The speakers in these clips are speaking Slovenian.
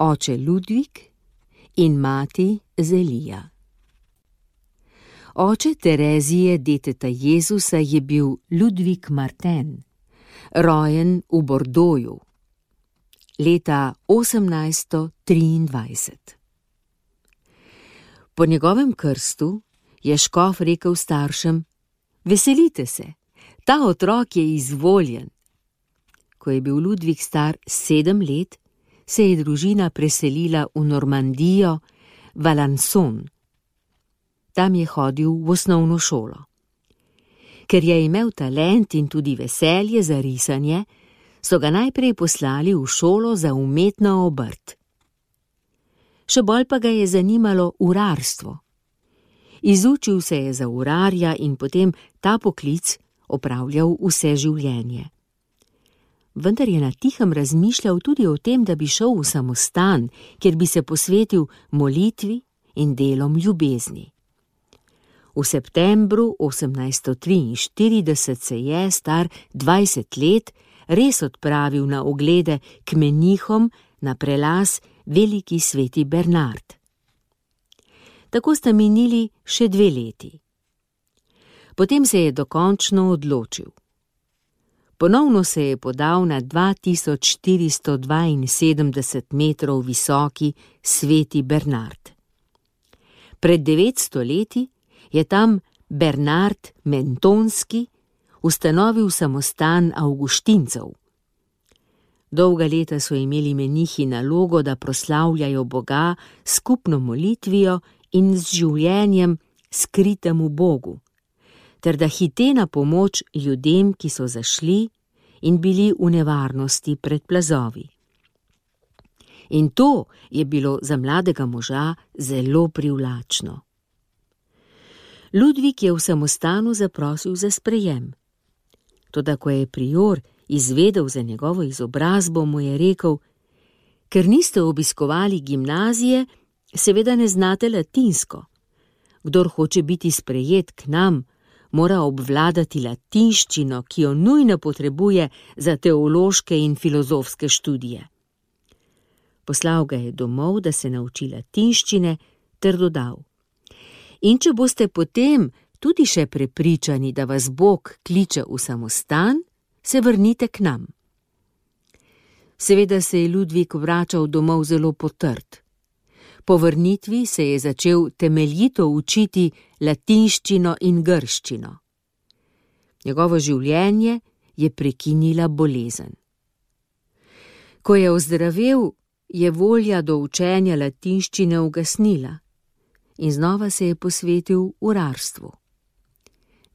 oče Ludvik in mati Zelija. Oče Terezije, deteta Jezusa, je bil Ludvik Martin, rojen v Bordoju, leta 1823. Po njegovem krstu je škof rekel staršem: "Veselite se, ta otrok je izvoljen." Ko je bil Ludvik star 7 let, se je družina preselila v Normandijo, v Alençon. Tam je hodil v osnovno šolo. Ker je imel talent in tudi veselje za risanje, so ga najprej poslali v šolo za umetno obrt. Še bolj pa ga je zanimalo urarstvo. Izučil se je za urarja in potem ta poklic opravljal vse življenje. Vendar je na tihem razmišljal tudi o tem, da bi šel v samostan, kjer bi se posvetil molitvi in delom ljubezni. V septembru 1843 se je, star 20 let, res odpravil na oglede k menihom na prelaz Veliki sveti Bernard. Tako sta minili še 2 leti. Potem se je dokončno odločil. Ponovno se je podal na 2472 metrov visoki sveti Bernard. Pred 900 leti je tam Bernard Mentonski ustanovil samostan avguštincev. Dolga leta so imeli menihi nalogo, da proslavljajo Boga s skupno molitvijo in z življenjem skritemu Bogu, ter da hite na pomoč ljudem, ki so zašli in bili v nevarnosti pred plazovi. In to je bilo za mladega moža zelo privlačno. Ludvik je v samostanu zaprosil za sprejem. Toda ko je prior izvedel za njegovo izobrazbo, mu je rekel: "Ker niste obiskovali gimnazije, seveda ne znate latinsko. Kdor hoče biti sprejet k nam, mora obvladati latinščino, ki jo nujno potrebuje za teološke in filozofske študije." Poslal ga je domov, da se nauči latinščine, ter dodal: "In če boste potem tudi še prepričani, da vas Bog kliče v samostan, se vrnite k nam." Seveda se je Ludvik vračal domov zelo potrt. Po vrnitvi se je začel temeljito učiti latinščino in grščino. Njegovo življenje je prekinila bolezen. Ko je ozdravel, je volja do učenja latinščine ugasnila in znova se je posvetil urarstvu.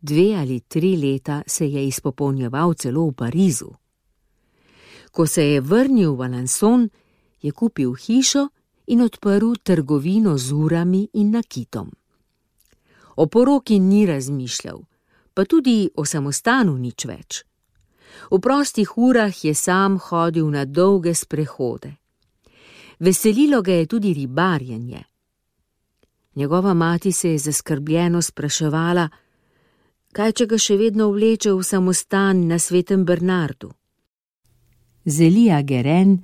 2 ali 3 leta se je izpopolnjeval celo v Parizu. Ko se je vrnil v Alençon, je kupil hišo in odprl trgovino z urami in nakitom. O poroki ni razmišljal, pa tudi o samostanu nič več. V prostih urah je sam hodil na dolge sprehode. Veselilo ga je tudi ribarjenje. Njegova mati se je zaskrbljeno spraševala, kaj če ga še vedno vleče v samostan na svetem Bernardu. Zelija Guérin,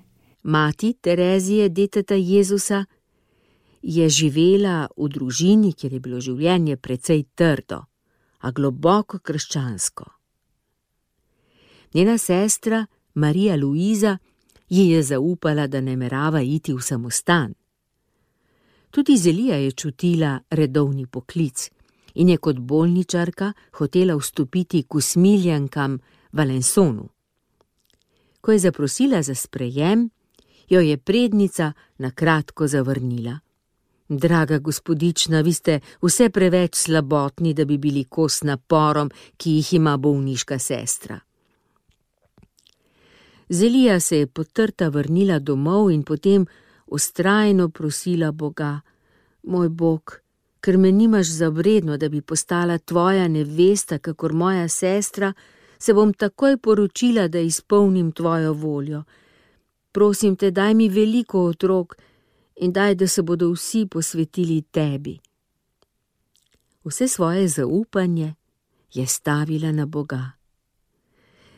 mati Terezije, deteta Jezusa, je živela v družini, kjer je bilo življenje precej trdo, a globoko krščansko. Njena sestra, Marija Luiza, ji je zaupala, da namerava iti v samostan. Tudi Zelija je čutila redovni poklic in je kot bolničarka hotela vstopiti k usmiljankam v Alençonu. Ko je zaprosila za sprejem, jo je prednica na kratko zavrnila. Draga gospodična, vi ste vse preveč slabotni, da bi bili kos naporom, ki jih ima bolniška sestra. Zelija se je potrta vrnila domov in potem vztrajno prosila Boga: Moj Bog, ker me nimaš za vredno, da bi postala tvoja nevesta, kakor moja sestra, se bom takoj poročila, da izpolnim tvojo voljo. Prosim te, daj mi veliko otrok in daj, da se bodo vsi posvetili tebi. Vse svoje zaupanje je stavila na Boga.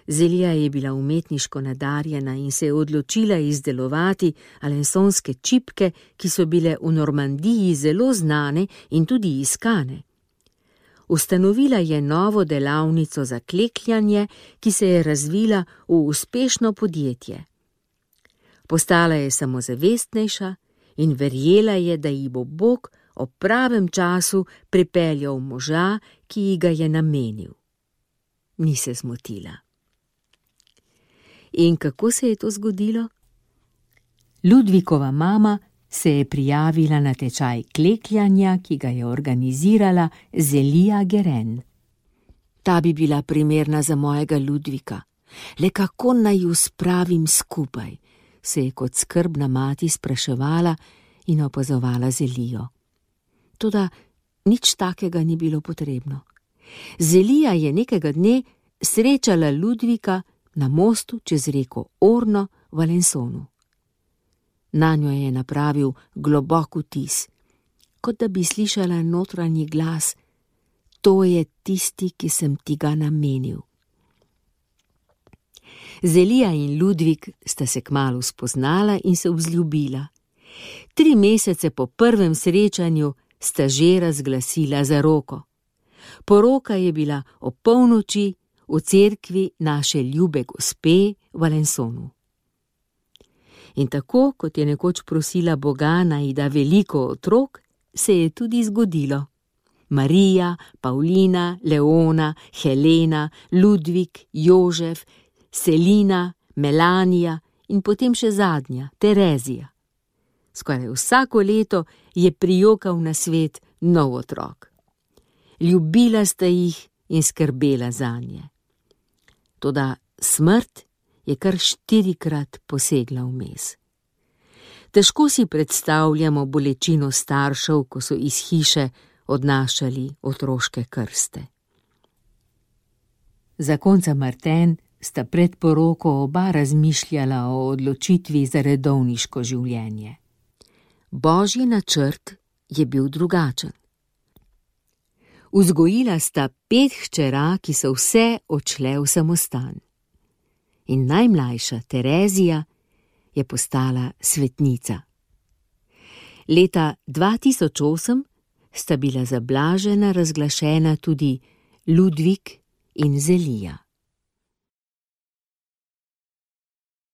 Zelija je bila umetniško nadarjena in se je odločila izdelovati alensonske čipke, ki so bile v Normandiji zelo znane in tudi iskane. Ustanovila je novo delavnico za klekljanje, ki se je razvila v uspešno podjetje. Postala je samozavestnejša in verjela je, da ji bo Bog ob pravem času pripeljal moža, ki ji ga je namenil. Ni se zmotila. In kako se je to zgodilo? Ludvikova mama se je prijavila na tečaj klekljanja, ki ga je organizirala Zelija Geren. Ta bi bila primerna za mojega Ludvika. Le kako naj ju spravim skupaj, se je kot skrbna mati spraševala in opazovala Zelijo. Toda nič takega ni bilo potrebno. Zelija je nekega dne srečala Ludvika na mostu čez reko Orno v Alensonu. Nanjo je napravil globok vtis, kot da bi slišala notranji glas: to je tisti, ki sem ti ga namenil. Zelija in Ludvik sta se kmalu spoznala in se vzljubila. 3 mesece po prvem srečanju sta že razglasila zaroko. Poroka je bila ob polnoči v cerkvi naše ljube gospe v Alensonu. In tako, kot je nekoč prosila Boga, naj da veliko otrok, se je tudi zgodilo. Marija, Pavlina, Leona, Helena, Ludvik, Jožef, Selina, Melanija in potem še zadnja, Terezija. Skoraj vsako leto je prijokal na svet nov otrok. Ljubila sta jih in skrbela zanje. Toda smrt je kar 4-krat posegla vmes. Težko si predstavljamo bolečino staršev, ko so iz hiše odnašali otroške krste. Zakonca Martin sta pred poroko oba razmišljala o odločitvi za redovniško življenje. Božji načrt je bil drugačen. Vzgojila sta 5 hčera, ki so vse odšle v samostan. In najmlajša, Terezija, je postala svetnica. Leta 2008 sta bila za blažena razglašena tudi Ludvik in Zelija.